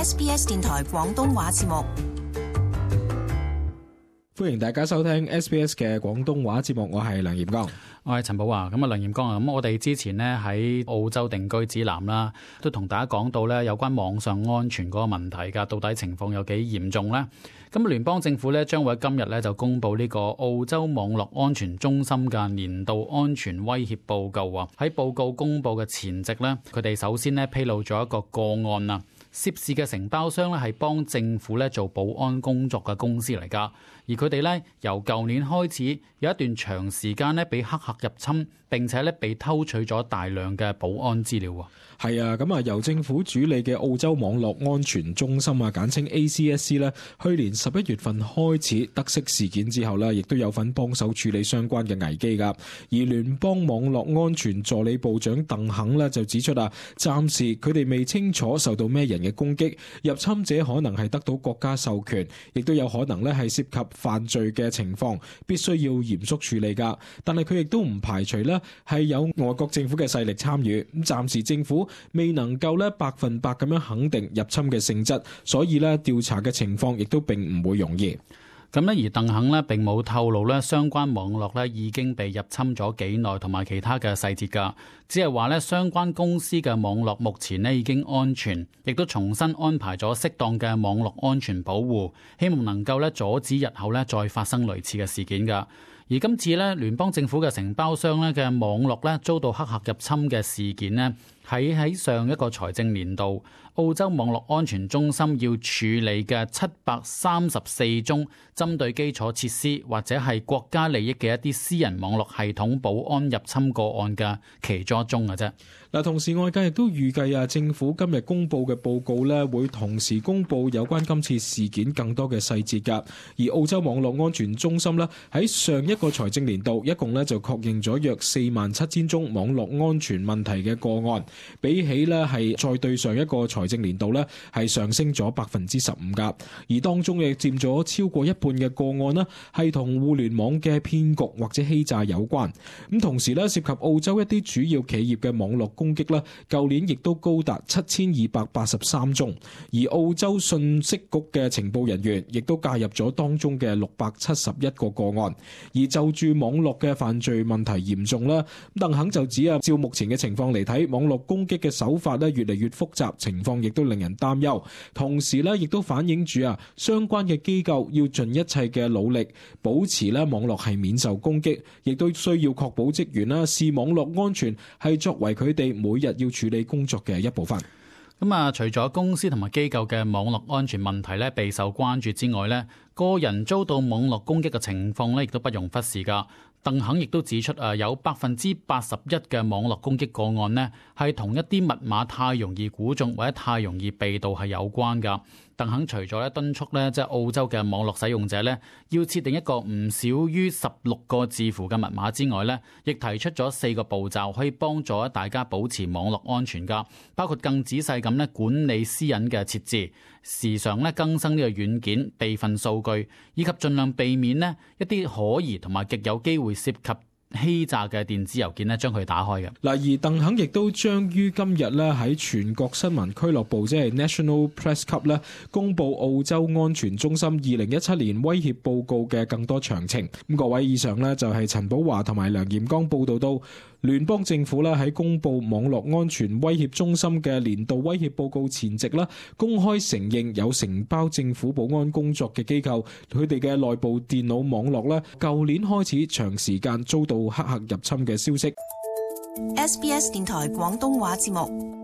SBS 電台廣東話節目。歡迎大家收聽 SBS 嘅廣東話節目，我係梁炎剛，我係陳寶華。咁啊，梁炎剛啊，咁我哋之前呢喺澳洲定居指南啦，都同大家講到咧有關網上安全嗰個問題噶，到底情況有幾嚴重呢？咁聯邦政府咧將會喺今日咧就公布呢個澳洲網絡安全中心嘅年度安全威脅報告啊。喺報告公布嘅前夕呢，佢哋首先咧披露咗一個個案啊。涉事嘅承包商咧係幫政府咧做保安工作嘅公司嚟噶，而佢哋咧由舊年開始有一段長時間咧被黑客入侵，並且咧被偷取咗大量嘅保安資料。係啊，咁啊由政府主理嘅澳洲網絡安全中心啊，簡稱 ACSC 咧，去年11月份開始得悉事件之後咧，亦都有份幫手處理相關嘅危機噶。而聯邦網絡安全助理部長鄧肯咧就指出啊，暫時佢哋未清楚受到咩人嘅攻擊，入侵者可能係得到國家授權，亦都有可能咧係涉及犯罪嘅情況，必須要嚴肅處理噶。但係佢亦都唔排除咧係有外國政府嘅勢力參與。咁暫時政府未能夠咧100%咁樣肯定入侵嘅性質，所以咧調查嘅情況亦都並唔會容易。咁咧，而鄧肯咧並冇透露咧相關網絡咧已經被入侵咗幾耐同埋其他嘅細節㗎，只係話咧相關公司嘅網絡目前咧已經安全，亦都重新安排咗適當嘅網絡安全保護，希望能夠咧阻止日後咧再發生類似嘅事件㗎。而今次咧聯邦政府嘅承包商咧嘅網絡咧遭到黑客入侵嘅事件呢，喺上一個財政年度，澳洲網絡安全中心要處理嘅734宗針對基礎設施或者係國家利益嘅一啲私人網絡系統保安入侵個案嘅其中一宗嘅啫。嗱，同時外界亦都預計啊，政府今日公布嘅報告咧，會同時公布有關今次事件更多嘅細節㗎。而澳洲網絡安全中心咧喺上一個財政年度，一共咧就確認咗約47000宗網絡安全問題嘅個案，比起咧係再對上一個財政年度咧係上升咗15%㗎。而當中亦佔咗超過一半嘅個案呢係同互聯網嘅騙局或者欺詐有關。咁同時咧涉及澳洲一啲主要企業嘅網絡攻擊咧，舊年亦都高達7283宗，而澳洲信息局嘅情報人員亦都介入咗當中嘅671個個案。而就住網絡嘅犯罪問題嚴重啦，鄧肯就指啊，照目前嘅情況嚟睇，網絡攻擊嘅手法咧越嚟越複雜，情況亦都令人擔憂。同時咧，亦都反映住啊，相關嘅機構要盡一切嘅努力，保持咧網絡係免受攻擊，亦都需要確保職員啦視網絡安全係作為佢哋每日要處理工作嘅一部分。咁啊，除咗公司同埋機構嘅網絡安全問題咧備受關注之外咧，個人遭到網絡攻擊嘅情況咧亦都不容忽視噶。鄧肯亦都指出有81%嘅網絡攻擊個案呢係同一啲密碼太容易估中或者太容易被盜係有關噶。鄧肯除咗咧敦促咧即係澳洲嘅網絡使用者咧要設定一個唔少於16個字符嘅密碼之外咧，亦提出咗4個步驟可以幫助大家保持網絡安全噶，包括更仔細咁咧管理私隱嘅設置，時常咧更新呢個軟件備份數據，以及盡量避免呢一啲可疑同埋極有機會涉及欺詐嘅電子郵件咧，將佢打開嘅。嗱，而鄧肯亦都將於今日咧喺全國新聞俱樂部，即係 National Press Club 咧，公布澳洲安全中心2017年威脅報告嘅更多詳情。咁各位，以上呢就係陳寶華同埋梁炎剛報道到聯邦政府咧喺公布網絡安全威脅中心嘅年度威脅報告前夕啦，公開承認有承包政府保安工作嘅機構，佢哋嘅內部電腦網絡咧，舊年開始長時間遭到黑客入侵嘅消息。SBS 電台廣東話節目。